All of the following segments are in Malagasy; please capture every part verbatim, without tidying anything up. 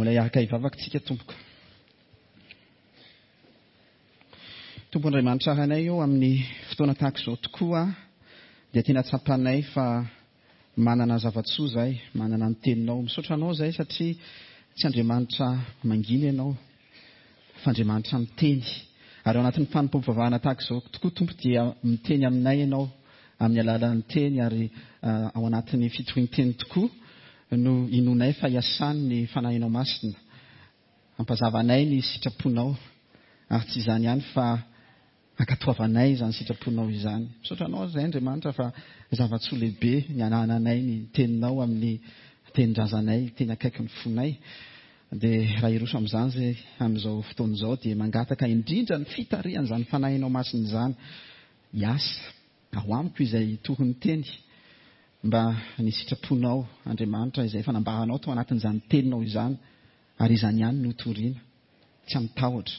Mbola hiaraka hivavaka tsika tompoko. Tompo Andriamanitra Rainay eo amin'ny fotoana tahaka izao tokoa dia tena tsapanay fa manana zava-tsoa zahay, manana ny teninao. Misaotra anao zahay satria tsy Andriamanitra mangina ianao fa Andriamanitra miteny. Ary ao anatin'ny fanompoam-pivavahana tahaka izao tokoa Tompo dia miteny aminay ianao amin'ny alalan'ny teny ary ao anatin'ny fitorian-teny tokoa no inonay fa hiasany ny fanahinao masina. Ampazavanay ny sitraponao ary tsy izany ihany fa ankatoavanay izany sitraponao izany. Misaotra anao izay Andriamanitra fa zava-tsoa lehibe ny anananay ny teninao amin'ny tenin-drazanay, teny akaiky ny fonay. Dia raha hiroso amin'izany izay amin'izao fotoana izao dia mangataka indrindra ny fitarihan'izany fanahinao masina izany hiasa ao amiko izay hitory ny teny mba ny sitraponao Andriamanitra izay efa nambaranao tao anatin'izany teninao izany ary izany ihany no toriana, tsy amin'ny tahotra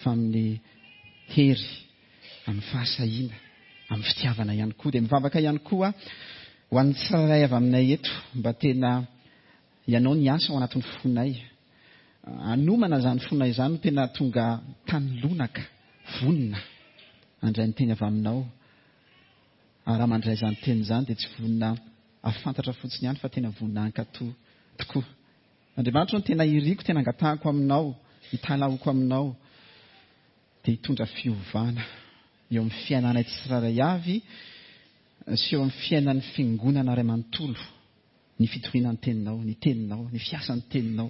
fa amin'ny hery, amin'ny fahasahiana, amin'ny fitiavana ihany koa. Dia mivavaka ihany koa ho an'ny tsirairay avy aminay eto mba tena ianao ny asa ao anatin'ny fonay. Hanomana izany fonay izany no tena tonga tany lonaka, vonona handray ny teny avy aminao. Ary raha mandray izany teny izany dia tsy vonona hahafantatra fotsiny ihany fa tena vonona hankatò tokoa. Andriamanitra no tena iriko, tena angatahako aminao, hitalahoko aminao, dia hitondra fiovana eo amin'ny fiainanay tsirairay avy sy eo amin'ny fiainan'ny fiangonana iray manontolo ny fitoriana ny teninao, ny teninao, ny fiasan'ny teninao,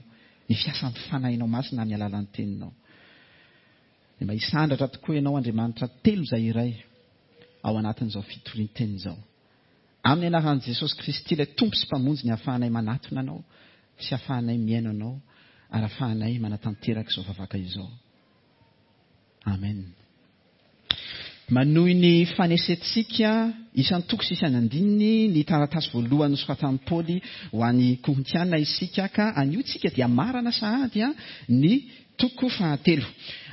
ny fiasan'ny fanahinao masina amin'ny alalan'ny teninao. Dia mba hisandratra tokoa ianao Andriamanitra telo izay iray ao anatin'izao fitorian-teny izao. Amin'ny anaran'i Jesosy Kristy ilay Tompo sy Mpamonjy ny ahafahanay manatona anao sy ahafahanay mihaino anao ary ahafahanay manatanteraka izao vavaka izao. Amen. Manohy ny fanesentsika isan-toko sy isan'andininy ny taratasy voalohany nosoratan'i Paoly ho an'ny Korintiana isika ka anio tsika dia marana sahady ny toko fahatelo.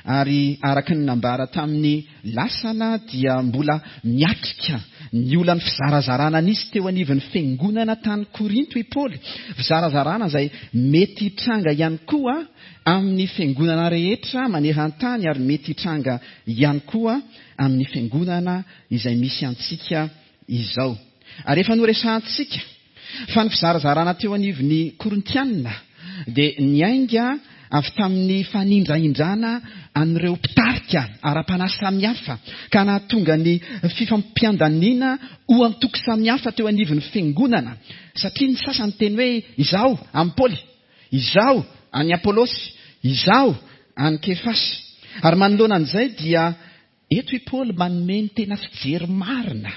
Ary araka ny nambara tamin'ny lasana dia mbola miatrika ny olan'ny fizarazarana nisy teo anivon'ny fiangonana tany Korinto i Paoly. Fizarazarana izay mety hitranga ihany koa amin'ny fiangonana rehetra maneran-tany ary mety hitranga ihany koa amin'ny fiangonana izay misy antsika izao. Ary efa noresahantsika fa ny fizarazarana teo anivon'ny Korintiana dia niainga avy tamin'ny fanindrahindrana an'ireo mpitarika ara-panahy samihafa ka nahatonga ny fifampiandaniana ho antoko samihafa teo anivon'ny fiangonana, satria ny sasany teny hoe izaho an'i Paoly, izaho an'i Apolosy, izaho an'i Kefasy. Ary manoloana an'izay dia eto i Paoly manome ny tena fijery marina,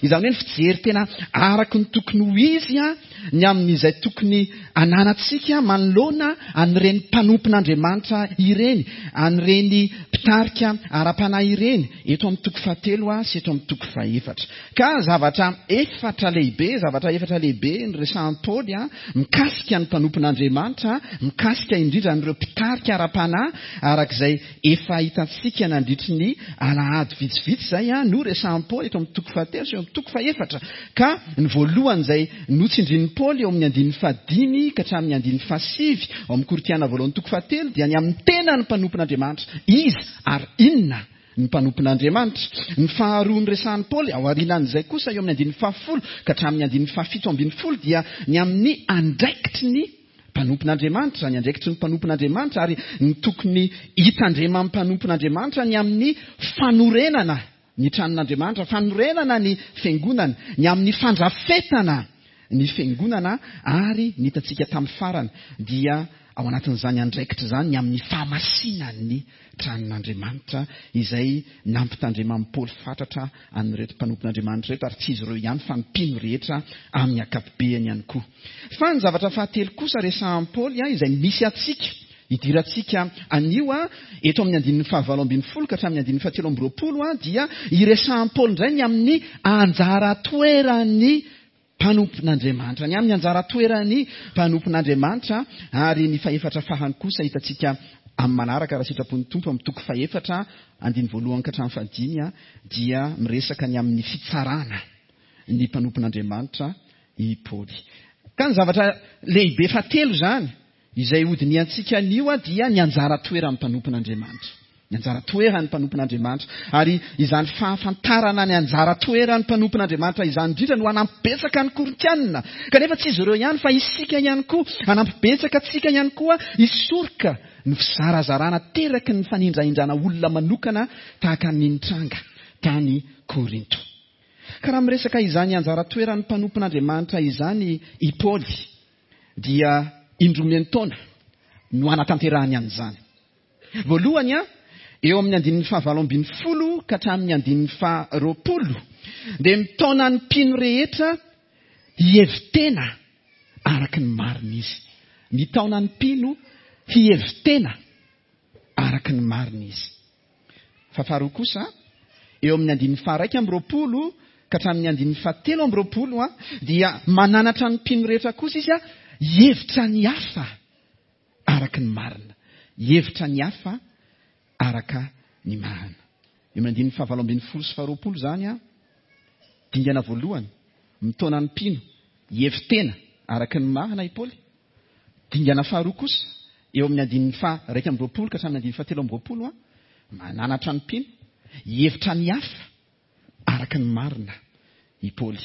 izany hoe ny fijery tena araka ny tokony ho izy ny amin'izay tokony ananantsika manoloana an'ireny mpanompon'Andriamanitra ireny, an'ireny mpitarika ara-panahy ireny, eto amin'ny toko fahatelo sy eto amin'ny toko fahefatra. Ka zavatra efatra lehibe, zavatra efatra lehibe ny resahan'i Paoly mikasika ny mpanompon'Andriamanitra, mikasika indrindra an'ireo mpitarika ara-panahy arak'izay efa hitantsika nandritry ny alahady vitsivitsy izay no resahan'i Paoly eto amin'ny toko fahatelo sy eo amin'ny toko fahefatra. Ka ny voalohany izay notsindrin'i Paoly eo amin'ny andininy fahadimy ka hatramin'ny andininy fahasivy ao amin'ny Korintiana voalohany toko fahatelo dia ny amin'ny tenan'ny mpanompon'Andriamanitra, iza ary inona ny mpanompon'Andriamanitra. Ny faharoa ny resahan'i Paoly ao aorianan'izay kosa eo amin'ny andininy fahafolo ka hatramin'ny andininy fahafito ambin'ny folo dia ny amin'ny andraikitry ny mpanompon'Andriamanitra, ny andraikitry ny mpanompon'Andriamanitra ary ny tokony hitandreman'ny mpanompon'Andriamanitra ny amin'ny fanorenana ny tranon'Andriamanitra, fanorenana ny fiangonana, ny amin'ny fandrafetana ny fiangonana ary ny hitantsika tamin'ny farany dia ao anatin'izany andraikitra izany ny amin'ny fahamasinan'ny tranon'Andriamanitra izay nampitandreman'i Paoly fatratra an'ireto mpanompon'Andriamanitra ireto ary tsy izy ireo ihany fa ny mpino rehetra amin'ny ankapobeny ihany koa. Fa ny zavatra fahatelo kosa resahan'i Paoly izay misy antsika idirantsika anio eto amin'ny andininy fahavalo ambin'ny folo ka hatramin'ny andininy fahatelo amby roapolo dia iresahan'i Paoly indray ny amin'ny anjara toeran'ny mpanompon'Andriamanitra, ny amin'ny anjara toeran'ny mpanompon'Andriamanitra. Ary ny fahefatra farany kosa hitantsika amin'ny manaraka raha sitrapon'ny Tompo amin'ny toko fahefatra andininy voalohany ka hatramin'ny fahadimy dia miresaka ny amin'ny fitsarana ny mpanompon'Andriamanitra i Paoly. Ka ny zavatra lehibe fahatelo izany Izay hodinihantsika anio dia ny anjara toeran'ny mpanompon'Andriamanitra. Ny anjara toeran'ny mpanompon'Andriamanitra. Ary izany fahafantarana ny anjara toeran'ny mpanompon'Andriamanitra izany indrindra no hanampy betsaka ny Korintianina. Kanefa tsy izy ireo ihany fa isika ihany koa, hanampy betsaka antsika ihany koa hisoroka ny fizarazarana teraky ny fanindrahindrana olona manokana tahaka ny nitranga tany Korinto. Ka raha miresaka izany anjara toeran'ny mpanompon'Andriamanitra izany i Paoly dia indroa miantaona no hanatanterahany an'izany. Voalohany a, eo amin'ny andininy fahavalo ambin'ny folo ka hatramin'ny andininy faharoapolo dia mitaona ny mpino rehetra hihevi-tena araka ny marina izy. Mitaona ny mpino hihevi-tena araka ny marina izy. Fa faharoa kosa, eo amin'ny andininy faharaika amby roapolo ka hatramin'ny andininy fahatelo amby roapolo a, dia mananatra ny mpino rehetra kosa izy a, hihevitra ny hafa araka ny marina. Hihevitra ny hafa araka ny marina. Eo amin'ny andininy fahavalo ambin'ny folo sy faharoapolo izany a, dingana voalohany, mitaona ny mpino hihevi-tena araka ny marina i Paoly. Dingana faharoa kosa, eo amin'ny andininy faharaika amby roapolo ka hatramin'ny andininy fahatelo amby roapolo a, mananatra ny mpino hihevitra ny hafa araka ny marina i Paoly.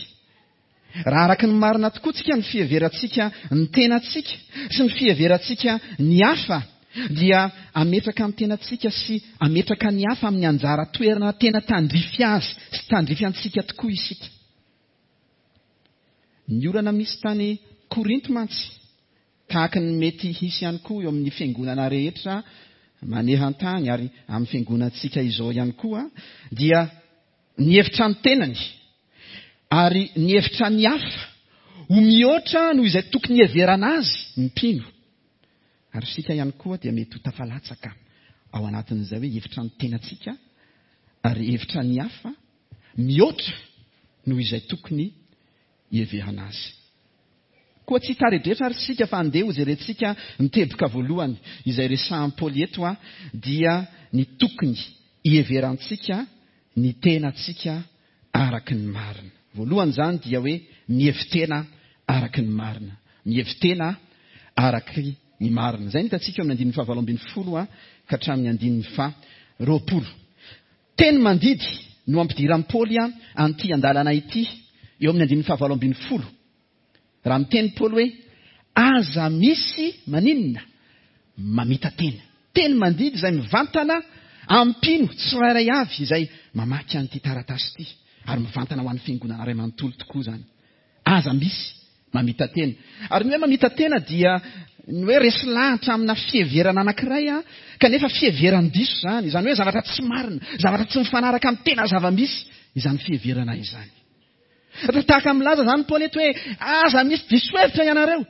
Raha araka ny marina tokoa tsika ny fiheverantsika ny tenantsika sy ny fiheverantsika ny hafa dia ametraka ny tenantsika sy ametraka ny hafa amin'ny anjara toerana tena tandrify azy sy tandrify antsika tokoa isika. Ny olana misy tany Korinto mantsy, tahaka ny mety hisy ihany koa eo amin'ny fiangonana rehetra maneran-tany ary amin'ny fiangonantsika izao ihany koa, dia nihevitra ny tenany ary nihevitra ny hafa ho mihoatra noho izay tokony hiheverana azy ny mpino. Ary isika ihany koa dia mety ho tafalatsaka ao anatin'izay hoe hevitra ny tenantsika ary hevitra ny hafa mihoatra noho izay tokony hiheverana azy. Koa tsy hitaredretra ary isika fa andeha hojerentsika ny teboka voalohany izay resahan'i Paoly eto a, dia ny tokony hiheverantsika ny tenantsika araka ny marina. Voalohany izany dia hoe mihevi-tena araka ny marina. Mihevi-tena araka ny marina. Izay no hitantsika eo amin'ny andininy fahavalo ambin'ny folo a, ka hatramin'ny andininy faharoapolo. Teny mandidy no ampidiran'i Paoly a, an'ity andalana ity eo amin'ny andininy fahavalo ambin'ny folo. Raha miteny Paoly hoe aza misy maninona mamita-tena. Teny mandidy izay mivantana ampino tsirairay avy izay mamaky an'ity taratasy ity ary mivantana ho an'ny fiangonana iray manontolo tokoa izany. Aza misy mamita-tena. Ary ny hoe mamita-tena dia ny hoe resy lahatra amina fiheverana anankiray a, kanefa fiheveran-diso izany, izany hoe zavatra tsy marina, zavatra tsy mifanaraka amin'ny tena zava-misy izany fiheverana izany. Tahaka milaza izany Paoly eto hoe aza misy diso hevitra ianareo,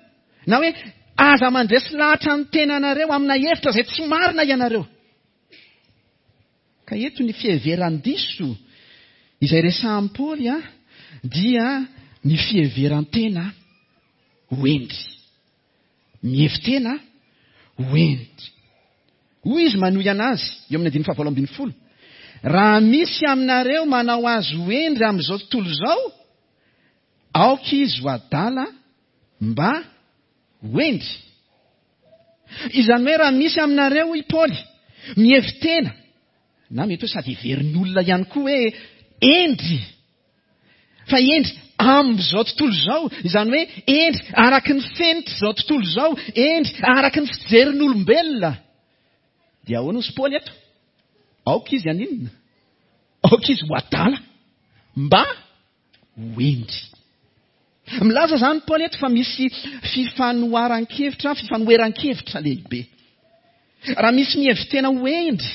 na hoe aza mandresy lahatra ny tenanareo amina hevitra izay tsy marina ianareo. Ka eto ny fiheveran-diso izay resahan'i Paoly a, dia ny fiheveran-tena ho hendry. Mihevi-tena ho hendry. Hoy izy manohy anazy eo amin'ny andininy fahavalo ambin'ny folo. Raha misy aminareo manao azy ho hendry amin'izao tontolo izao, aoka izy ho adala mba ho hendry. Izany hoe raha misy aminareo, hoy Paoly, mihevi-tena, na mety hoe sady heverin'olona ihany koa hoe hendry, fa hendry amin'izao tontolo izao, izany hoe hendry araky ny fenitr'izao tontolo izao, hendry araky ny fijerin'olombelona. Dia ahoana hoy Paoly eto? Aoka izy haninona? Aoka izy ho adala mba ho hendry. Milaza izany Paoly eto fa misy fifanoharan-kevitra, fifanoheran-kevitra lehibe. Raha misy mihevi-tena ho hendry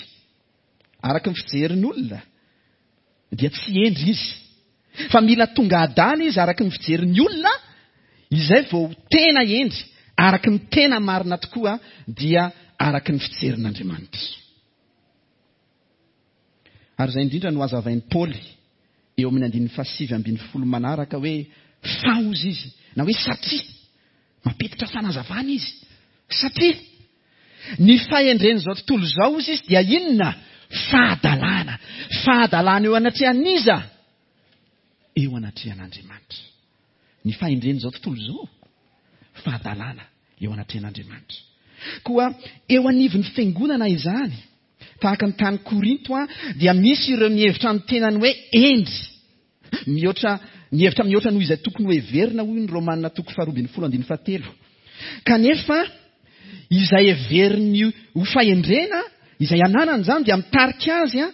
araky ny fijerin'olona, dia tsy hendry izy. Fa mila tonga adala izy araky ny fijerin'ny olona, izay vao tena hendry, araky ny tena marina tokoa, dia araky ny fijerin'Andriamanitra. Ary izay indrindra no hazavain'i Paoly eo amin'ny andininy fahasivy ambin'ny folo manaraka hoe fa hozy izy, na hoe satria, mampiditra fanazavana izy, satria ny fahendren'izao tontolo izao hozy izy dia inona? Fahadalana. Fahadalana eo anatrehan'iza? Eo anatrehan'Andriamanitra. Ny fahendren'izao tontolo izao, fahadalana eo anatrehan'Andriamanitra. Koa eo anivon'ny fiangonana izany, tahaka ny tany Korinto a, dia misy ireo mihevitra ny tenany hoe hendry, mihoatra, mihevitra mihoatra noho izay tokony ho heverina, hoy ny Romanina toko faharoa ambin'ny folo andininy fahatelo. Kanefa izay heveriny ho fahendrena, izay ananany izany, dia mitarika azy a,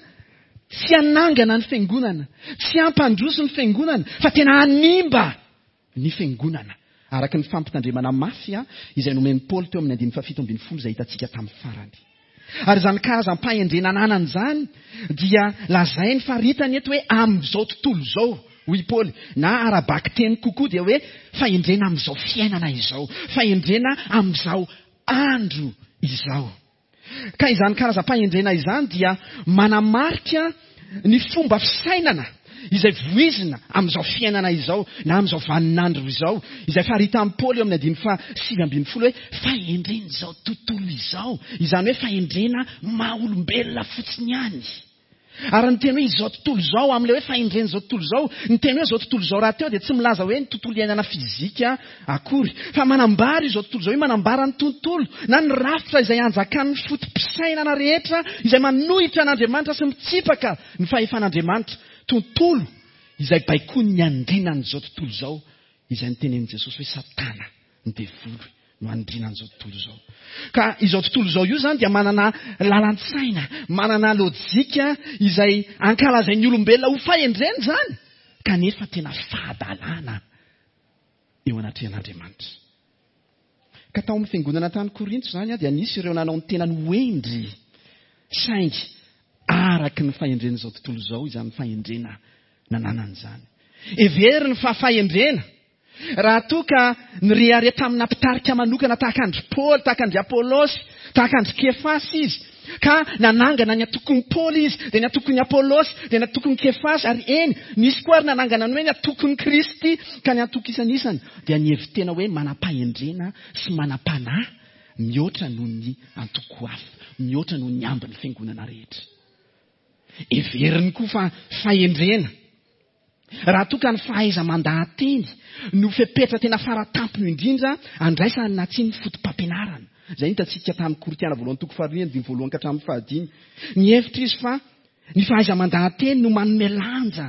tsy hanangana ny fiangonana, tsy hampandroso ny fiangonana, fa tena hanimba ny fiangonana, araka ny fampitandremana mafy a, izay nomen'i Paoly teo amin'ny andininy fahafito ambin'ny folo izay hitantsika tamin'ny farany. Ary izany karazam-pahendrena ananany izany dia lazainy faritany eto hoe amin'izao tontolo izao, hoy Paoly, na ara-bakiteny kokoa dia hoe fahendrena amin'izao fiainana izao, fahendrena amin'izao andro izao. Ka izany karazam-pahendrena izany dia manamarika ny fomba fisainana izay voizina amin'izao fiainana izao na amin'izao vaninandro izao, izay faritan'i Paoly eo amin'ny andininy fahasivy ambin'ny folo hoe fahendren'izao tontolo izao, izany hoe fahendrena maha-olombelona fotsiny ihany. Ary ny teny hoe izao tontolo izao, amin'ilay hoe fahendren'izao tontolo izao, ny teny hoe izao tontolo izao rahateo dia tsy milaza hoe ny tontolo iainana fizika akory, fa manambara izao tontolo izao, hoe manambara ny tontolo na ny rafitra izay anjakan'ny foto-pisainana rehetra izay manohitra an'Andriamanitra sy mitsipaka ny fahefan'Andriamanitra, tontolo izay baikoin'ny andrinan'izao tontolo izao, izay nitenenin'i Jesosy hoe Satana, ny devoly, no andrinan'izao tontolo izao. Ka izao tontolo izao io zany dia manana lalan-tsaina, manana lojika izay ankalazain'ny olombelona ho fahendrena izany, kanefa tena fahadalana eo anatrehan'Andriamanitra. Ka tao amin'ny fiangonana tany Korinto izany dia nisy ireo nanao ny tenany ho hendry, saingy araky ny fahendren'izao tontolo izao izany fahendrena nananany izany. Heveriny fa fahendrena raha toa ka nirehareha tamina mpitarika manokana tahaka an-dry Paoly, tahaka an-dry Apôlôsy, tahaka an-dry Kefasy izy, ka nanangana ny antokon'i Paoly izy, dia ny antokon'i Apôlôsy, dia ny antokon'i Kefasy, ary eny, nisy koa ary nanangana ny hoe ny antokon'i Kristy, ka ny antoko isan'isany dia nihevi-tena hoe manam-pahendrena sy manam-panahy mihoatra noho ny antoko hafa, mihoatra noho ny ambin'ny fiangonana rehetra. Heveriny koa fa fahendrena raha toa ka ny fahaiza-mandahateny no fepetra tena faratampony indrindra andraisana na tsy ny foto-pampianarana. Izay hitantsika tamin'ny Korintiana voalohany toko faharoa andininy voalohany ka hatramin'ny fahadimy. Nihevitra izy fa ny fahaiza-mandahateny no manome lanja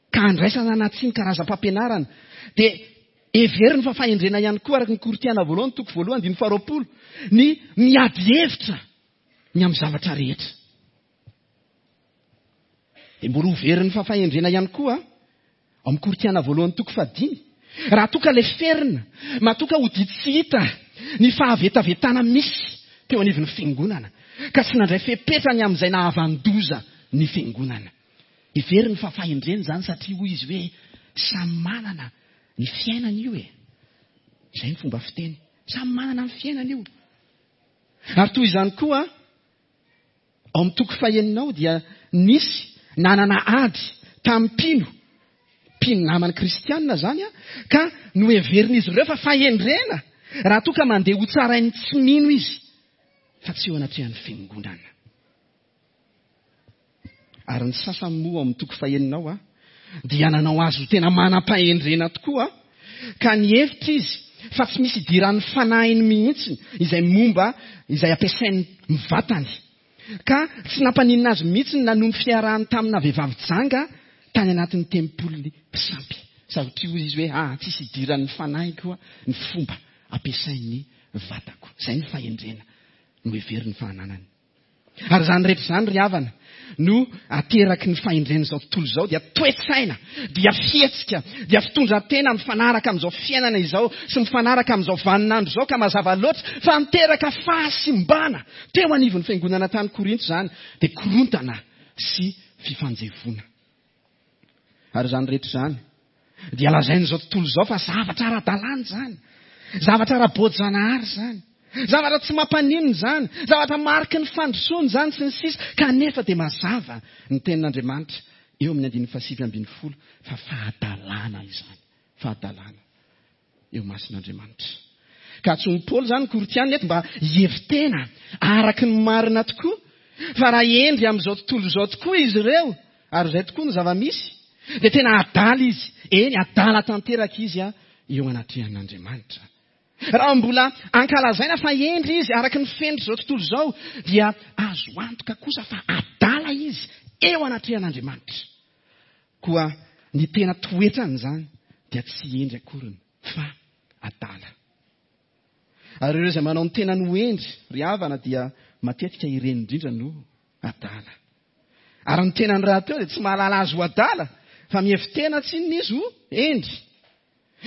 ka andraisana na tsy ny karazam-pampianarana. Dia heveriny fa fahendrena ihany koa araka ny Korintiana voalohany toko voalohany andininy faharoapolo ny miady hevitra ny amin'ny zavatra rehetra. Dia mbola hoveriny fa fahendrena ihany koa ao amin'ny Korintiana voalohany toko fahadimy. Raha toa ka leferina, matoa ka hody tsy hita ny fahavetavetana misy teo anivon'ny fiangonana, ka tsy nandray fepetra ny amin'izay nahavan-doza ny fiangonana. Heveriny fa fahendrena izany satria hoy izy hoe samy manana ny fiainana io e. Izay ny fomba fiteny. Samy manana ny fiainana io. Ary toy izany koa ao amin'ny toko fahenina ao dia nisy nanana ady tamin'ny mpino, mpino naman'ny kristianina izany a, ka noheverin'izy ireo fa fahendrena raha toa ka mandeha ho tsarain'ny tsy mino izy, fa tsy eo anatrehan'ny fiangonana. Ary ny sasany moa ao amin'ny toko fahenina ao a, dia nanao azy ho tena manam-pahendrena tokoa, ka nihevitra izy fa tsy misy idiran'ny fanahiny mihitsy izay momba izay ampiasain'ny vatany. Ka tsy nampaninona azy mihitsy na noho ny fiarahany tamina vehivavy janga tany anatin'ny tempoly mpisampy. Satria hoy izy hoe ah, tsisy idiran'ny fanahiko ny fomba ampiasain'ny vatako. Izay ny fahendrena no heverin'ny fahananany. Ary izany rehetra izany ry havana no ateraky ny fahendren'izao tontolo izao, dia toe-tsaina, dia fihetsika, dia fitondran-tena mifanaraka amin'izao fiainana izao sy mifanaraka amin'izao vaninandro izao, ka mazava loatra fa niteraka fahasimbana teo anivon'ny fiangonana tany Korinto izany, dia korontana sy fifanjevoana. Ary izany rehetra izany dia lazain'izao tontolo izao fa zavatra ara-dalàna izany, zavatra ara-boajanahary izany, zavatra tsy mampaninona izany, zavatra mariky ny fandrosoana izany sy ny sisa, kanefa dia mazava ny tenin'Andriamanitra eo amin'ny andininy fahasivy ambin'ny folo fa fahadalàna izany, fahadalàna eo masin'Andriamanitra. Ka antsoin'i Paoly izany Korintiana eto mba hihevi-tena araka ny marina tokoa, fa raha hendry amin'izao tontolo izao tokoa izy ireo, ary izay tokoa ny zava-misy, dia tena adala izy, eny adala tanteraka izy a eo anatrehan'Andriamanitra. Raha mbola ankalazaina fa hendry izy araka ny fenitra izao tontolo izao, dia azo antoka kosa fa adala izy eo anatrehan'Andriamanitra. Koa ny tena toetrany izany dia tsy hendry akoriny fa adala. Ary ireo izay manao ny tenany ho hendry, ry havana, dia matetika ireny indrindra no adala. Ary ny tenany rahateo dia tsy mahalala azy ho adala, fa mihevi-tena tsinona izy ho hendry.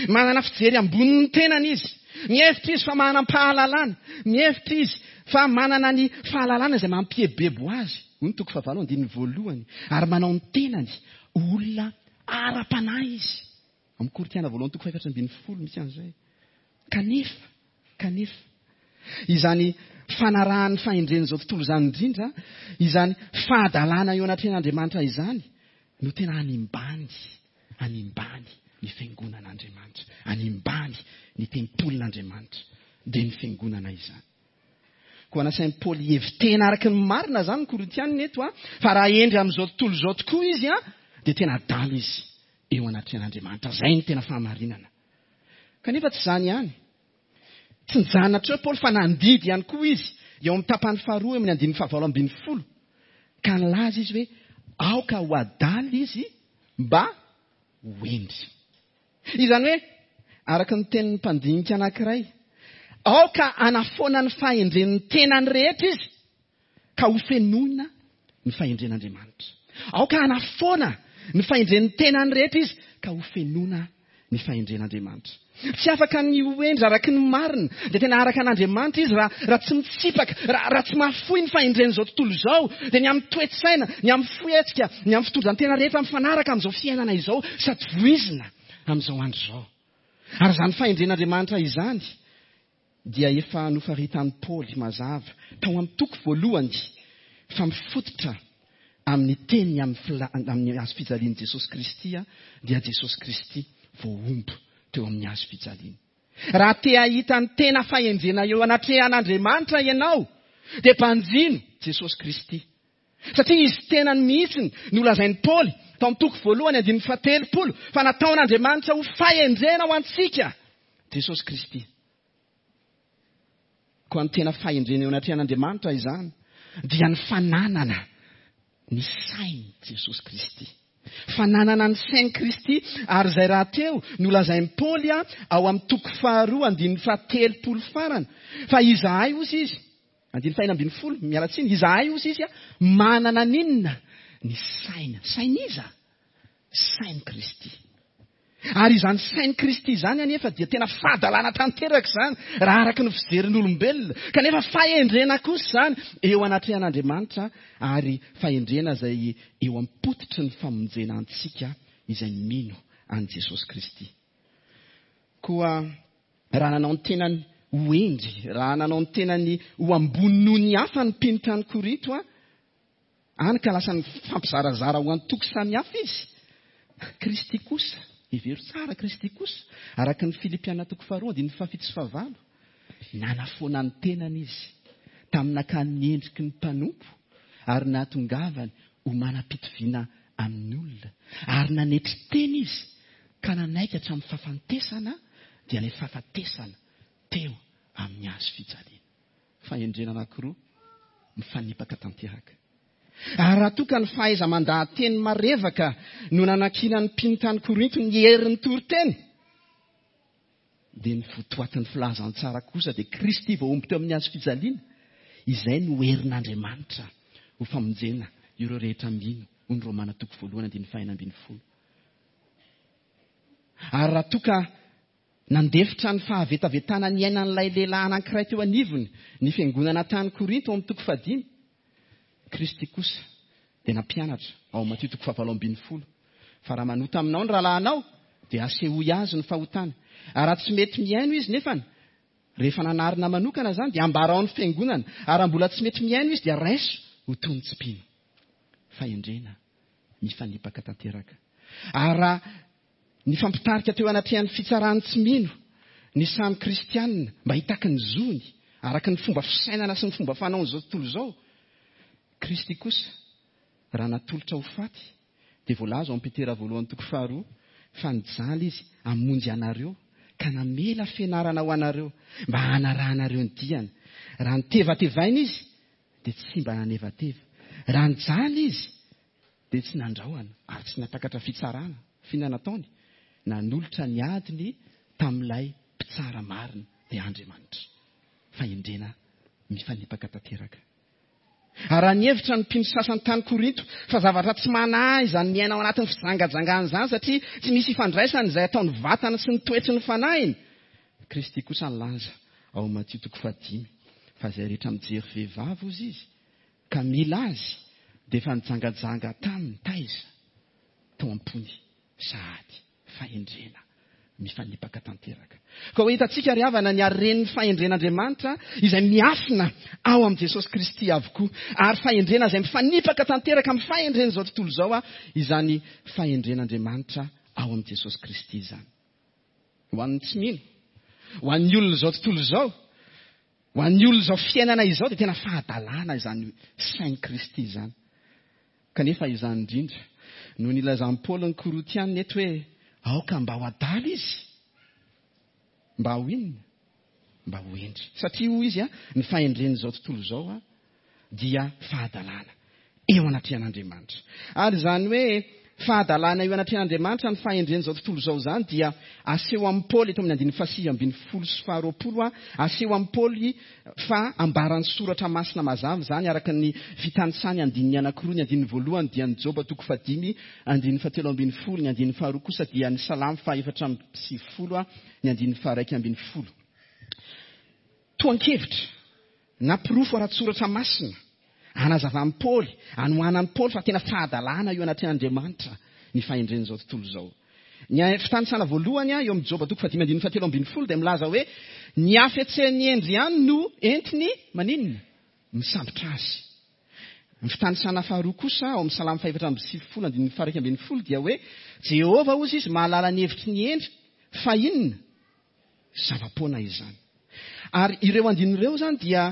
Manana fijery ambonin'ny tenany izy. Mihevitra izy fa manam-pahalalana. Mihevitra izy fa manana ny fahalalana izay mampiebebo azy. Hoy ny toko fahavalo andininy voalohany. Ary manao ny tenany ho olona ara-panahy izy. Amin'ny Korintiana voalohany toko fahefatra ambin'ny folo misy an'izay. Kanefa, kanefa, izany fanarahan'ny fahendren'izao tontolo izany indrindra, izany fahadalana eo anatrehan'Andriamanitra izany, no tena animbany, animbany ny fiangonan'Andriamanitra, animbany ny tempolin'Andriamanitra, dia ny fiangonana izany. Koa nasain'i Paoly hihevi-tena araka ny marina izany ny Korintianina eto, a, fa raha hendry amin'izao tontolo izao tokoa izy, a, dia tena adala izy eo anatrehan'Andriamanitra. Izay no tena fahamarinana. Kanefa tsy izany ihany. Tsy nijanona hatreo Paoly fa nandidy ihany koa izy eo amin'ny tapany faharoa eo amin'ny andininy fahavalo ambin'ny folo. Ka nilaza izy hoe aoka ho adala izy mba ho hendry. Izany hoe araka ny tenin'ny mpandinika anankiray, aoka hanafoana ny fahendren'ny tenany rehetra izy ka ho fenoina ny fahendren'Andriamanitra. Aoka hanafoana ny fahendren'ny tenany rehetra izy ka ho fenoina ny fahendren'Andriamanitra. Tsy afaka ny ho hendry araka ny marina, dia tena araka an'Andriamanitra izy raha, raha tsy mitsipaka, raha, raha tsy mahafoy ny fahendren'izao tontolo izao, dia ny amin'ny toe-tsaina, ny amin'ny fihetsika, ny amin'ny fitondran-tena rehetra mifanaraka amin'izao fiainana izao sady voizina amin'izao andro izao. Ary izany fahendren'Andriamanitra izany dia efa nofaritan'i Paoly mazava tao amin'ny toko voalohany fa mifototra amin'ny teny amin'ny fila-, amin'ny hazo fijalian'i Jesosy Kristy, dia Jesosy Kristy voahombo teo amin'ny hazo fijaliana. Raha te hahita ny tena fahendrena eo anatrehan'Andriamanitra ianao, dia banjino Jesosy Kristy. Satria izy tenany mihitsy no lazain'i Paoly tao amin'ny toko voalohany andininy fahatelopolo fa nataon'Andriamanitra ho fahendrena ho antsika Jesosy Kristy. Koa ny tena fahendrena eo anatrehan'Andriamanitra izany dia ny fananana ny sain'i Jesosy Kristy. Fananana ny sain'i Kristy, ary izay rahateo no lazain'i Paoly ao amin'ny toko faharoa andininy fahatelopolo farany. Fa izahay ozy izy, andininy fahenina ambin'ny folo, miala tsiny, izahay ozy izy manana n'inona? Ny saina. Sain'iza? Sain'i Kristy. Ary izany sain'i Kristy izany anefa dia tena fahadalana tanteraka izany raha araka ny fijerin'olombelona. Kanefa fahendrena kosa izany eo anatrehan'Andriamanitra, ary fahendrena izay eo am-pototry ny famonjena antsika izay mino an'i Jesosy Kristy. Koa raha nanao ny tenany ho hendry, raha nanao ny tenany ho ambony noho ny hafa ny mpino tany Korinto, any ka lasa nifampizarazara ho antoko samihafa izy, Kristy kosa, hevero tsara, Kristy kosa, araka ny Filipiana toko faharoa andininy fahafito sy fahavalo, nanafoana ny tenany izy tamin'ny nakany ny endriky ny mpanompo ary nahatongavany ho manam-pitoviana amin'ny olona, ary nanetry tena izy ka nanaiky hatramin'ny fahafatesana, dia ilay fahafatesana teo amin'ny hazo fijaliana. Fahendrena anankiroa mifanipaka tanteraka. Ary raha toa ka ny fahaiza-mandaha-teny marevaka no nanankinan'ny mpino tany Korinto ny herin'ny toriteny, dia ny votoatin'ny filazantsara kosa dia Kristy voahombo teo amin'ny hazo fijaliana, izay no herin'Andriamanitra ho famonjena ireo rehetra mino, hoy ny Romana toko voalohany andininy fahenina ambin'ny folo. Ary raha toa ka nandefitra ny fahavetavetana niainan'ilay lehilahy anankiray teo anivony ny fiangonana tany Korinto ao amin'ny toko fahadimy, Kristy kosa dia nampianatra ao Matio toko fahavalo ambin'ny folo fa raha manota aminao ny rahalahinao dia asehoy azy ny fahotany. Ary raha tsy mety mihaino izy nefany, rehefa nanarina manokana izany dia ambarao ny fiangonana. Ary raha mbola tsy mety mihaino izy dia raiso ho toy ny tsy mpino. Fahendrena mifanipaka tanteraka. Ary raha nifampitarika teo anatrehan'ny fitsaran'ny tsy mino ny samy kristianina mba hitaky ny zony araka ny fomba fisainana sy ny fomba fanaon'izao tontolo izao, Kristy kosa raha natolotra ho faty dia voalaza ao amin'ny Petera voalohany toko faharoa fa nijaly izy hamonjy anareo ka namela fianarana ho anareo mba hanarahanareo ny diany. Raha nitevatevaina izy dia tsy mba nanevateva. Raha nijaly izy dia tsy nandrahona ary tsy natakatra fitsarana. F'inona nataony? Nanolotra ny adiny tamin'ilay mpitsara marina, dia Andriamanitra. Fahendrena mifanipaka tanteraka. Ary raha nihevitra ny mpino sasany tany Korinto fa zavatra tsy manahy izany miaina ao anatin'ny fijangajangana izany satria tsy misy ifandraisany izay ataon'ny vatana sy ny toetry ny fanahiny, Kristy kosa nilaza ao Matio toko fahadimy fa izay rehetra mijery vehivavy hozy izy ka mila azy dia efa nijangajanga taminy taiza tao am-pony sahady. Fahendrena mifanipaka tanteraka. Ka ho hitantsika ry havana ny haren'ny fahendren'Andriamanitra izay miafina ao amin'i Jesosy Kristy avokoa. Ary fahendrena izay mifanipaka tanteraka amin'ny fahendren'izao tontolo izao izany fahendren'Andriamanitra ao amin'i Jesosy Kristy izany. Ho an'ny tsy mino, ho an'ny olona izao tontolo izao, ho an'ny olona izao fiainana izao dia tena fahadalana izany sain'i Kristy izany. Kanefa izany indrindra no nilazan'i Paoly ny Korintiana eto hoe aoka mba ho adala izy, mba ho inona? Mba ho hendry. Satria hoy izy, ny fahendren'izao tontolo izao dia fahadalana eo anatrehan'Andriamanitra. Ary izany hoe fahadalana eo anatrehan'Andriamanitra ny fahendren'izao tontolo izao izany dia aseho amin'ny Paoly eto amin'ny andininy fahasivy ambin'ny folo sy faharoapolo, aseho amin'ny Paoly fa ambaran'ny soratra masina mazava izany araka ny fitanisany andininy anankiroa. Ny andininy voalohany dia ny Joba toko fahadimy andininy fahatelo ambin'ny folo, ny andininy faharoa kosa dia ny Salamo fahaefatra amby sivifolo, ny andininy faharaika ambin'ny folo. Tohan-kevitra na porofo ara-tsoratra masina anazavan'i Paoly, anohanan'i Paoly fa tena fahadalana eo anatrehan'Andriamanitra ny fahendren'izao tontolo izao. Ny fitanisana voalohany eo amin'ny Joba toko fahadimy andininy fahatelo ambin'ny folo dia milaza hoe ny hafetsen'ny hendry ihany no entiny maninona? Misambotra azy. Ny fitanisana faharoa kosa ao amin'ny Salamo fahefatra amby sivifolo andininy faharaika ambin'ny folo dia hoe Jehovah hozy izy mahalala ny hevitry ny hendry fa inona? Zava-poana izany. Ary ireo andininy ireo izany dia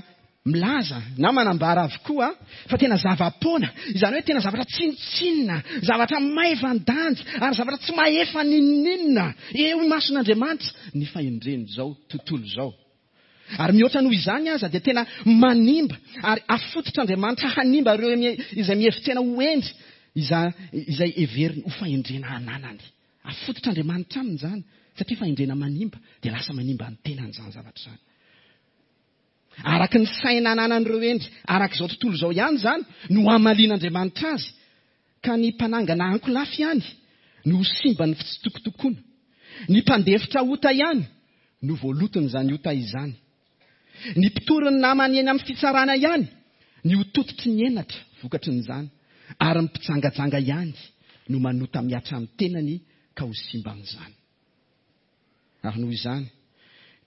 milaza na manambara avokoa fa tena zava-poana, izany hoe tena zavatra tsinontsinona, zavatra maivan-danja ary zavatra tsy mahefa n'inon'inona eo imason'Andriamanitra ny fahendren'izao tontolo izao. Ary mihoatra noho izany aza dia tena manimba ary afototr'Andriamanitra hanimba ireo izay mihevi-tena ho hendry, izay heveriny ho fahendrena ananany. Afototr'Andriamanitra aminy izany satria fahendrena manimba dia lasa manimba ny tenany izany zavatra izany. Araka ny saina ananan'ireo hendry araka izao tontolo izao ihany izany no hamalian'Andriamanitra azy, ka ny mpanangana ankolafy ihany no ho simban'ny fitsitokotokoana, ny mpandefitra ota ihany no voaloton'izany ota izany, ny mpitory ny namany eny amin'ny fitsarana ihany ny ho tototry ny henatra vokatrin'izany, ary ny mpijangajanga ihany no manota mihatra amin'ny tenany ka ho simban'izany. Ary noho izany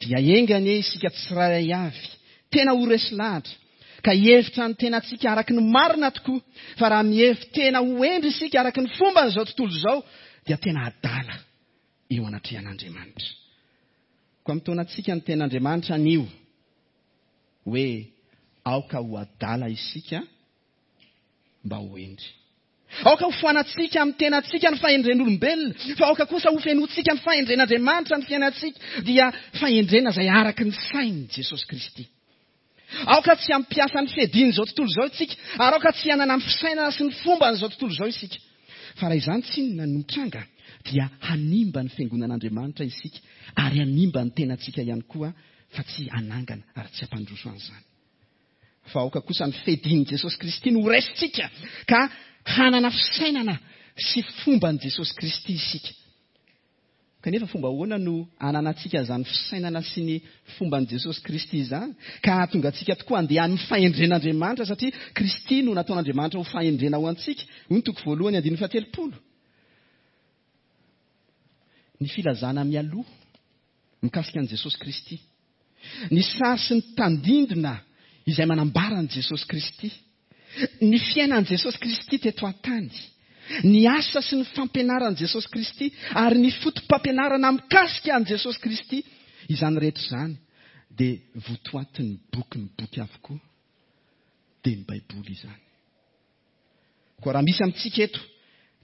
dia enga anie isika tsirairay avy tena ho resy lahatra ka hihevitra ny tenantsika araka ny marina tokoa, fa raha mihevi-tena ho hendry isika araka ny fomban'izao tontolo izao dia tena adala eo anatrehan'Andriamanitra. Koa mitaona antsika ny tenin'Andriamanitra anio hoe aoka ho adala isika mba ho hendry. Aoka ho foanantsika amin'ny tenantsika ny fahendren'olombelona, fa aoka kosa ho fenointsika ny fahendren'Andriamanitra ny fiainantsika, dia fahendrena izay araka ny sain'i Jesosy Kristy. Aoka tsy hampiasa ny fiadian'izao tontolo izao isika, ary aoka tsy hanana ny fisainana sy ny fomban'izao tontolo izao isika. Fa raha izany tsinona no mitranga dia hanimba ny fiangonan'Andriamanitra isika ary hanimba ny tenantsika ihany koa, fa tsy hanangana ary tsy hampandroso an'izany. Fa aoka kosa ny fiadian'i Jesosy Kristy no horaisintsika ka hanana fisainana sy fomban'i Jesosy Kristy isika. Kanefa fomba ahoana no hananantsika izany fisainana sy ny fomban'i Jesosy Kristy izany ka hahatonga antsika tokoa handeha amin'ny fahendren'Andriamanitra, satria Kristy no nataon'Andriamanitra ho fahendrena ho antsika. Hoy ny toko voalohany andininy fahatelopolo. Ny filazana mialoha mikasika an'i Jesosy Kristy, ny sary sy ny tandindona izay manambara an'i Jesosy Kristy, ny fiainan'i Jesosy Kristy teto an-tany, ny asa sy ny fampianaran'i Jesosy Kristy ary ny foto-pampianarana mikasika an'i Jesosy Kristy, izany rehetra izany dia votoatin'ny boky ny boky avokoa, dia ny Baiboly izany. Koa raha misy amintsika eto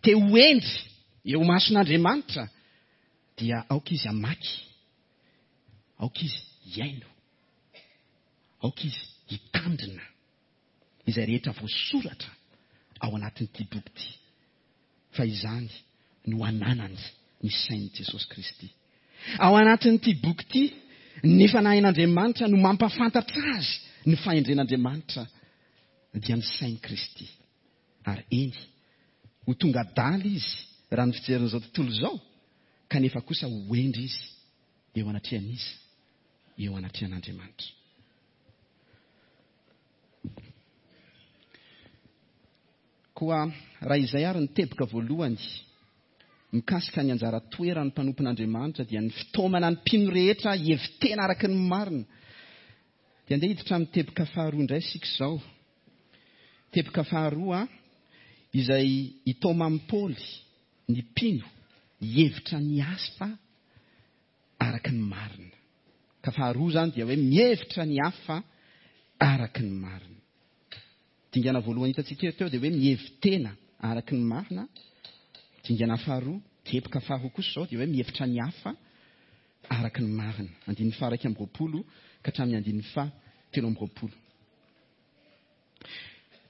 te ho hendry eo mason'Andriamanitra dia aoka izy hamaky Aoka izy hihaino, aoka izy hitandrina izay rehetra voasoratra ao anatin'ity boky ity, fa izany no ananany ny sain'i Jesosy Kristy. Ao anatin'ity boky ity, ny fanahin'Andriamanitra no mampahafantatra azy ny fahendren'Andriamanitra, dia ny sain'i Kristy. Ary eny, ho tonga adala izy raha ny fijerin'izao tontolo izao, kanefa kosa ho hendry izy eo anatrehan'iza? Eo anatrehan'Andriamanitra. Koa raha izay ary ny teboka voalohany mikasika ny anjara toeran'ny mpanompon'Andriamanitra, dia ny fitaomana ny mpino rehetra hihevi-tena araka ny marina. Dia andeha hiditra amin'ny teboka faharoa indray isika izao. Teboka faharoa izay hitaoman'i Paoly ny mpino hihevitra ny hafa araka ny marina. Ka faharoa izany dia hoe mihevitra ny hafa araka ny marina. Dingana voalohany hitantsika teo dia hoe mihevi-tena araka ny marina. Dingana faharoa, teboka faharoa kosa izao dia hoe mihevitra ny hafa araka ny marina. Andininy faha iraika amby roapolo ka hatramin'ny andininy faha telo amby roapolo.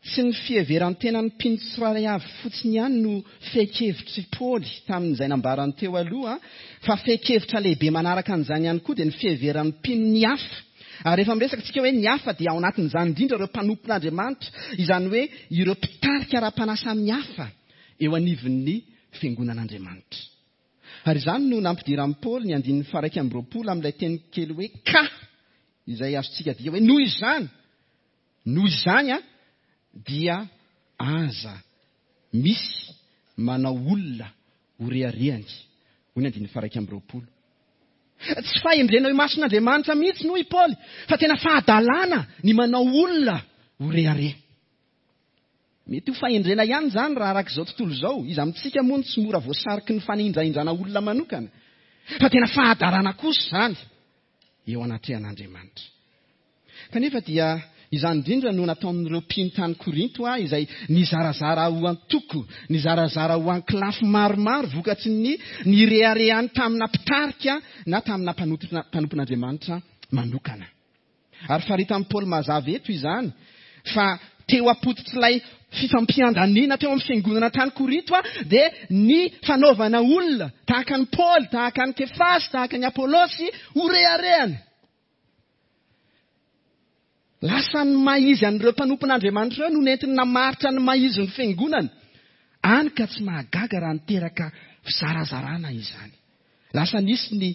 Tsy ny fiheveran-tenan'ny mpino tsirairay avy fotsiny ihany no fehin-kevitr'i Paoly tamin'izay nambarany teo aloha, fa fehin-kevitra lehibe manaraka an'izany ihany koa dia ny fiheveran'ny mpino ny hafa. Ary rehefa miresaka isika hoe ny hafa dia ao anatin'izany indrindra ireo mpanompon'Andriamanitra, izany hoe ireo mpitarika ara-panahy samihafa eo anivon'ny fiangonan'Andriamanitra. Ary izany no nampidiran'i Paoly ny andininy faha iraika amby roapolo amin'ilay teny kely hoe ka, izay azontsika adika hoe noho izany. Noho izany a, dia aza misy manao olona ho reharehany, hoy ny andininy faha iraika amby roapolo. Tsy fahendrena eo imason'Andriamanitra mihitsy hoy i Paoly, fa tena fahadalana ny manao olona ho rehareha. Mety ho fahendrena ihany izany raha araka izao tontolo izao. Iza amintsika moa no tsy mora voasariky ny fanindrahindrana olona manokana? Fa tena fahadalana kosa izany eo anatrehan'Andriamanitra. Kanefa dia izany indrindra no nataon'ireo mpino tany Korinto, izay nizarazara ho antoko, nizarazara ho ankolafy maromaro vokatry ny nireharehany tamina mpitarika na tamina mpanompon'Andriamanitra manokana. Ary faritan'i Paoly mazava eto izany, fa teo am-pototr'ilay fifampiandaniana teo amin'ny fiangonana tany Korinto dia ny fanaovana olona tahaka an'i Paoly, tahaka an'i Kefasy, tahaka an'i Apolosy ho reharehany. Lasa ny maha-izy an'ireo mpanompon'Andriamanitra ireo no nentiny namaritra ny maha-izy ny fiangonana. Any ka tsy mahagaga raha niteraka fizarazarana izany. Lasa nisy ny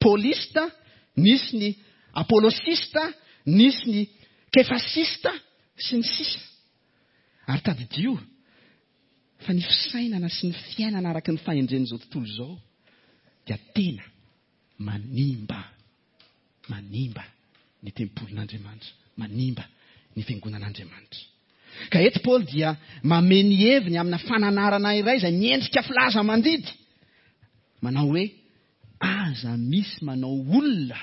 Paulista, nisy ny Apolosista, nisy ny Kefasista sy ny sisa. Ary tadidio fa ny fisainana sy ny fiainana araka ny fahendren'izao tontolo izao dia tena manimba, manimba ny tempolin'Andriamanitra, manimba ny fiangonan'Andriamanitra. Ka eto Paoly dia mamehy ny heviny amina fananarana iray izay miendrika filaza mandidy, manao hoe aza misy manao olona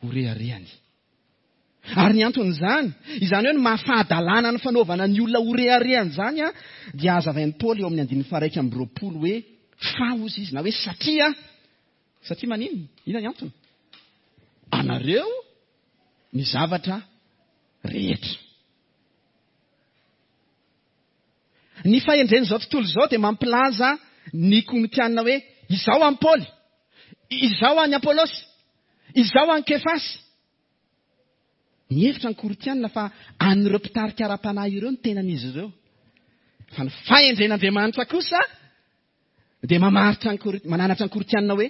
ho reharehany. Ary ny anton'izany, izany hoe ny mahafahadalana ny fanaovana ny olona ho reharehany izany, dia hazavain'i Paoly eo amin'ny andininy faha iraika amby roapolo hoe fa hozy izy, na hoe satria, satria maninona? Inona ny antony? Anareo ny zavatra rehetra. Ny fahendren'izao tontolo izao dia mampilaza ny Korintiana hoe izao an'i Paoly, izao an'i Apolosy, izao an'i Kefasy. Mihevitra ny Korintiana fa an'ireo mpitarika ara-panahy ireo ny tenan'izy ireo. Fa ny fahendren'Andriamanitra kosa dia mamaritra ny Korin-, mananatra ny Korintiana hoe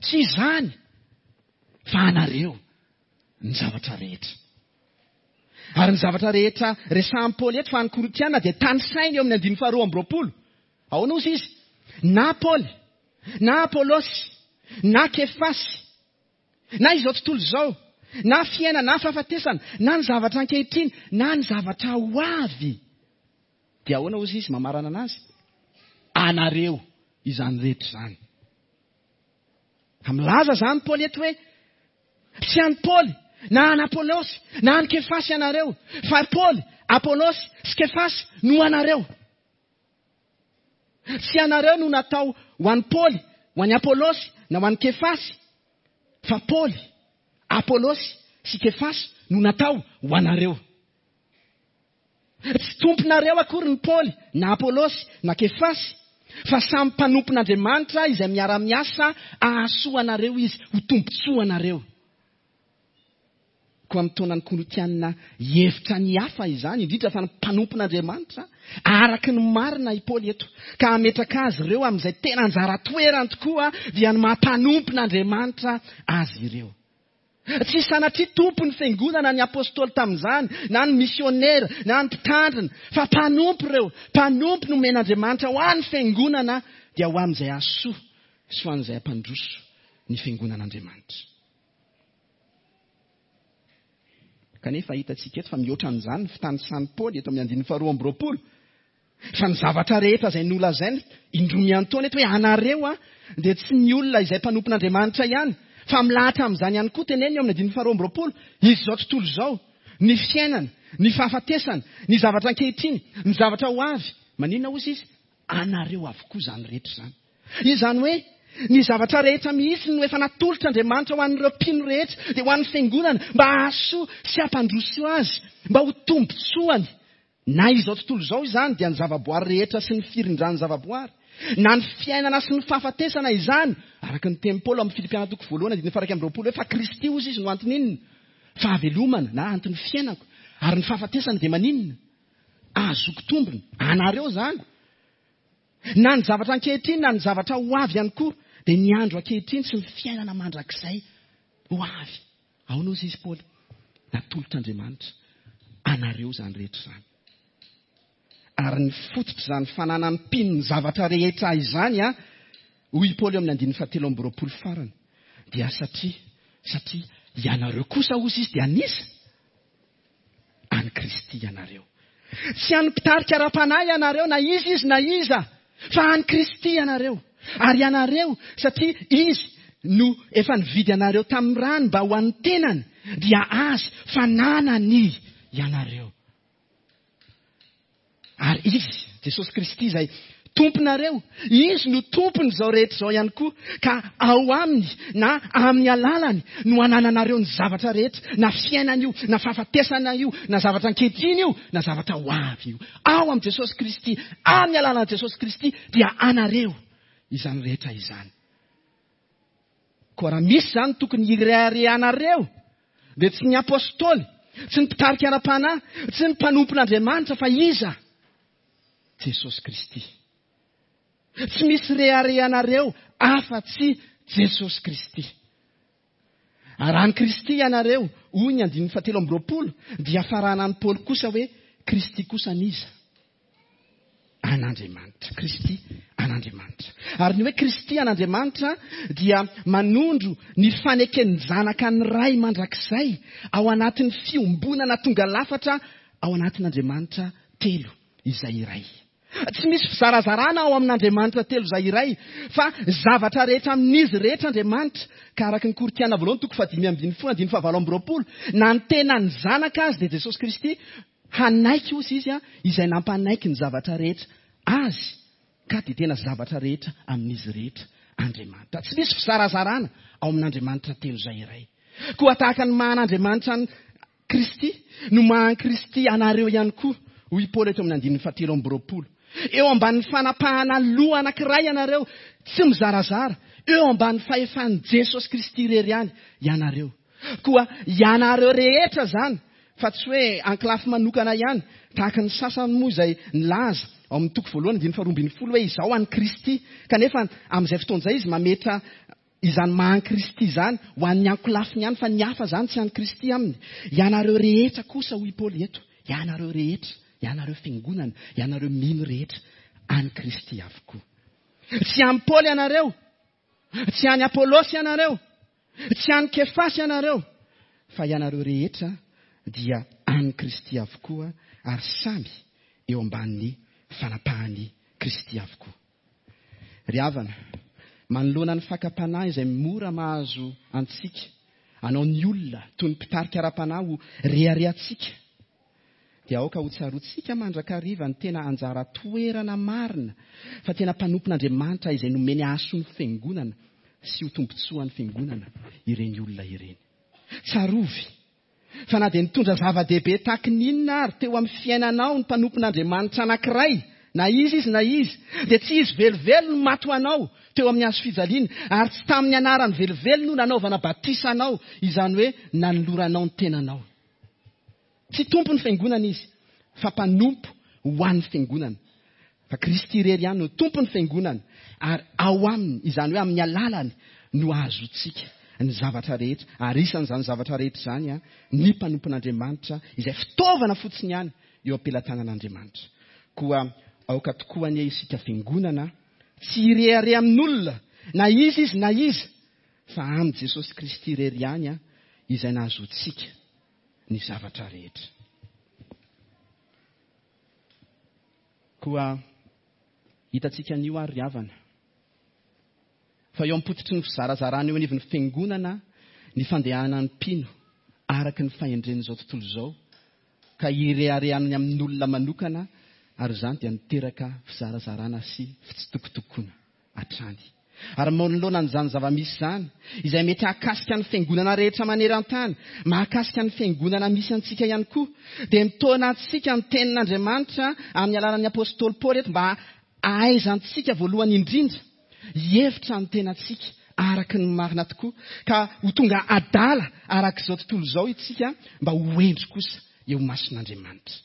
tsy izany fa anareo ny zavatra rehetra. Ary ny zavatra rehetra resahan'i Paoly eto fa ny Korintiana dia tanisainy eo amin'ny andininy faharoa amby roapolo. Ahoana hozy izy? Na Paoly, na Apolosy, na Kefasy, na izao tontolo izao, na fiainana, na fahafatesana, na ny zavatra ankehitriny, na ny zavatra ho avy. Dia ahoana hozy izy mamarana anazy? Anareo izany rehetra izany. Ka milaza izany Paoly eto hoe tsy an'i Paoly, na an'i Apolosy, na an'i Kefasy ianareo, fa Paoly, Apolosy sy Kefasy no anareo. Tsy ianareo no natao ho an'i Paoly, ho an'i Apolosy, na ho an'i Kefasy, fa Paoly, Apôlôsy sy Kefasy no natao ho anareo. Tsy tomponareo akory ny Paoly na Apôlôsy na Kefasy, fa samy mpanompon'Andriamanitra izay miara-miasa hahasoa anareo izy, ho tombontsoa anareo. Koa mitaona ny Korintianina hihevitra ny hafa izany, indrindra fa ny mpanompon'Andriamanitra, araka ny marina i Paoly eto, ka hametraka azy ireo amin'izay tena anjara toerany tokoa, dia ny maha mpanompon'Andriamanitra azy ireo. Tsy sanatria tompon'ny fiangonana ny apôstôly tamin'izany, na ny misionera, na ny mpitandrina, fa mpanompo ireo. Mpanompo nomen'Andriamanitra ho an'ny fiangonana, dia ho amin'izay hahasoa sy ho an'izay hampandroso ny fiangonan'Andriamanitra. Kanefa hitantsika eto fa mihoatra an'izany ny fitanisan'i Paoly eto amin'ny andininy faharoa amby roapolo. Fa ny zavatra rehetra izay nolazainy indroa miantaona eto hoe anareo a, dia tsy ny olona izay mpanompon'Andriamanitra ihany, fa milahatra amin'izany ihany koa teneniny eo amin'ny andininy faharoa amby roapolo, izao tontolo izao, ny fiainana, ny fahafatesana, ny zavatra ankehitriny, ny zavatra ho avy. Maninona hozy izy? Anareo avokoa izany rehetra izany. Izany hoe ny zavatra rehetra mihitsy no efa natolotr'Andriamanitra ho an'ireo mpino rehetra, dia ho an'ny fiangonana, mba hahasoa sy hampandroso azy, mba ho tombontsoany. Na izao tontolo izao izany dia ny zavaboary rehetra sy ny firindran'ny zavaboary, na ny fiainana sy ny fahafatesana izany, araka ny tenin'i Paoly amin'ny Filipiana toko voalohany andininy faha iraika amby roapolo hoe fa Kristy hozy izy no anton'inona? Fahavelomana na anton'ny fiainako, ary ny fahafatesana dia maninona? Ahazoako tombony. Anareo izany. Na ny zavatra ankehitriny na ny zavatra ho avy ihany koa, dia ny andro ankehitriny sy ny fiainana mandrakizay ho avy. Ahoana hozy izy Paoly? Natolotr'Andriamanitra anareo izany rehetra izany. Ary ny fototr'izany fananan'ny mpino ny zavatra rehetra izany, a, hoy i Paoly eo amin'ny andininy fahatelo amby roapolo farany, dia satria, satria ianareo kosa hozy izy dia an'iza? An'i Kristy ianareo. Tsy an'ny mpitarika ara-panahy ianareo na iza izy na iza, fa an'i Kristy ianareo. Ary ianareo, satria izy no efa nividy anareo tamin'ny rany mba ho an'ny tenany, dia azy fananany ianareo. Ary izy, Jesosy Kristy izay tomponareo, izy no tompon'izao rehetra izao ihany koa, ka ao aminy na amin'ny alalany no anananareo ny zavatra rehetra, na fiainana io, na fahafatesana io, na zavatra ankehitriny io, na zavatra ho avy io. Ao amin'i Jesosy Kristy, amin'ny alalan'i Jesosy Kristy dia anareo izany rehetra izany. Koa raha misy izany tokony hireharehanareo, dia tsy ny apôstôly, tsy ny mpitarika ara-panahy, tsy ny mpanompon'Andriamanitra, fa iza? Jesosy Kristy. Tsy misy reharehanareo afa-tsy Jesosy Kristy. Ary raha ny Kristy ianareo, hoy ny andininy fahatelo amby roapolo, dia faranan'i Paoly kosa hoe Kristy kosa n'iza? An'Andriamanitra. Kristy an'Andriamanitra. Ary ny hoe Kristy an'Andriamanitra dia manondro ny faneken'ny zanaka ny Ray mandrakizay ao anatin'ny fiombonana tonga lafatra ao anatin'Andriamanitra telo izay iray. Tsy misy fizarazarana ao amin'Andriamanitra telo izay iray, fa zavatra rehetra amin'izy rehetra Andriamanitra. Ka araka ny Korintiana voalohany toko fahadimy ambin'ny folo andininy fahavalo amby roapolo, na ny tenan'ny zanaka azy dia Jesosy Kristy hanaiky ozy izy, izay nampanaiky ny zavatra rehetra azy, ka dia tena zavatra rehetra amin'izy rehetra Andriamanitra. Tsy misy fizarazarana ao amin'Andriamanitra telo izay iray. Koa tahaka ny maha an'Andriamanitra an'i Kristy no maha an'i Kristy anareo ihany koa, hoy Paoly eto amin'ny andininy fahatelo amby roapolo. Eo ambanin'ny fanapahana loha anankiray ianareo, tsy mizarazara, eo ambanin'ny fahefan'i Jesosy Kristy irery ihany ianareo. Koa ianareo rehetra izany, fa tsy hoe ankilafy manokana ihany, tahaka ny sasany moa izay nilaza ao amin'ny toko voalohany andininy faharoa ambin'ny folo hoe izao an'i Kristy, kanefa amin'izay fotoana izay izy mametra izany maha an'i Kristy izany ho an'ny ankolafiny ihany, fa ny hafa izany tsy an'i Kristy aminy. Ianareo rehetra kosa, hoy Paoly eto, ianareo rehetra, ianareo fiangonana, ianareo mino rehetra, an'i Kristy avokoa. Tsy an'i Paoly ianareo, tsy an'i Apôlôsy ianareo, tsy an'i Kefasy ianareo, fa ianareo rehetra dia an'i Kristy avokoa, ary samy eo ambanin'ny fanapahan'i Kristy avokoa. Ry havana, manoloana ny fakam-panahy izay mora mahazo antsika, anao ny olona toy ny mpitarika ara-panahy ho reharehantsika, dia aoka ho tsaroantsika mandrakariva ny tena anjara toerana marina, fa tena mpanompon'Andriamanitra izay nomeny hahasoa ny fiangonana sy ho tombontsoan'ny fiangonana ireny olona ireny. Tsarovy fa na dia nitondra zava-dehibe tahaky ny inona ary teo amin'ny fiainanao ny mpanompon'Andriamanitra anankiray, na izy izy na izy, dia tsy izy velively no maty ho anao teo amin'ny hazo fijaliana, ary tsy tamin'ny anarany velively no nanaovana batisa anao, izany hoe nanoloranao ny tenanao. Tsy tompon'ny fiangonana izy, fa mpanompo ho an'ny fiangonana. Fa Kristy irery ihany no tompon'ny fiangonana, ary ao aminy, izany hoe amin'ny alalany, no ahazoantsika ny zavatra rehetra. Ary isan'izany zavatra rehetra izany a, ny mpanompon'Andriamanitra, izay fitaovana fotsiny ihany eo am-pelatanan'Andriamanitra. Koa aoka tokoa anie isika fiangonana tsy hirehareha amin'olona, na iza izy na iza, fa amin'i Jesosy Kristy irery ihany a, izay nahazoantsika ny zavatra rehetra. Koa hitantsika anio ary ry havana, fa eo am-pototry ny fizarazarana eo anivon'ny fiangonana ny fandehanan'ny mpino araka ny fahendren'izao tontolo izao, ka hireharehany amin'olona manokana, ary izany dia miteraka fizarazarana sy fitsitokotokoana hatrany. Ary manoloana an'izany zava-misy izany, izay mety hahakasika ny fiangonana rehetra maneran-tany, mahakasika ny fiangonana misy antsika ihany koa, dia mitaona antsika ny tenin'Andriamanitra amin'ny alalan'ny apostoly Paoly eto mba hahaizantsika voalohany indrindra hihevitra ny tenantsika araka ny marina tokoa, ka ho tonga adala araka izao tontolo izao isika mba ho hendry kosa eo imason'Andriamanitra.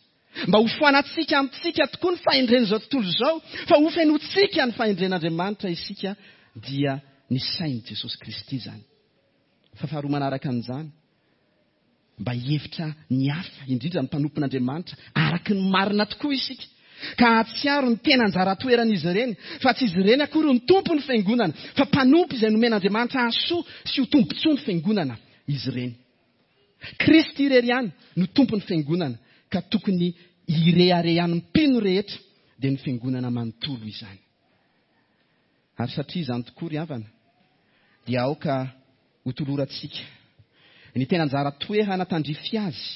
Mba ho foanantsika amintsika tokoa ny fahendren'izao tontolo izao, fa ho fenotsika ny fahendren'Andriamanitra isika, dia ny sain'i Jesosy Kristy izany. Fa faharoa manaraka an'izany, mba hihevitra ny hafa, indrindra ny mpanompon'Andriamanitra, araka ny marina tokoa isika, ka hahatsiaro ny tena anjara toeran'izy ireny, fa tsy izy ireny akory no tompon'ny fiangonana, fa mpanompo izay nomen'Andriamanitra hahasoa sy ho tombontsoa ny fiangonana izy ireny. Kristy irery ihany no tompon'ny fiangonana, ka tokony hireharehan'ny mpino rehetra, dia ny fiangonana manontolo izany. Ary satria izany tokoa ry havana, dia aoka hotolorantsika ny tena anjara toerana tandrify azy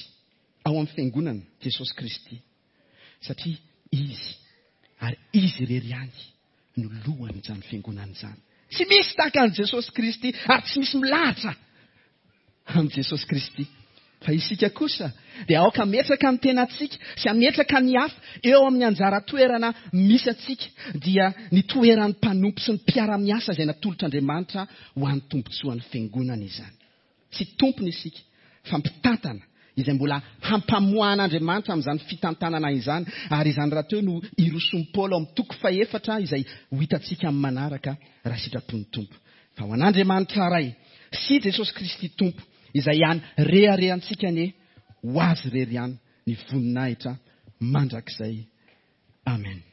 ao amin'ny fiangonana, Jesosy Kristy, satria izy ary izy irery ihany no lohan'izany fiangonana izany. Tsy misy tahaka an'i Jesosy Kristy, ary tsy misy milahatra amin'i Jesosy Kristy. Fa isika kosa dia aoka hametraka ny tenantsika sy hametraka ny hafa eo amin'ny anjara toerana misy antsika, dia ny toeran'ny mpanompo sy ny mpiara-miasa izay natolotr'Andriamanitra ho an'ny tombontsoan'ny fiangonana izany. Tsy tompony isika, fa mpitantana izay mbola hampamoahan'Andriamanitra amin'izany fitantanana izany, ary izany rahateo no irosoan'i Paoly ao amin'ny toko fahefatra izay ho hitantsika amin'ny manaraka raha sitrapon'ny Tompo. Fa ho an'Andriamanitra Ray sy Jesosy Kristy Tompo, izay ihany reharehantsika anie, ho azy irery ihany ny voninahitra mandrakizay. Amen.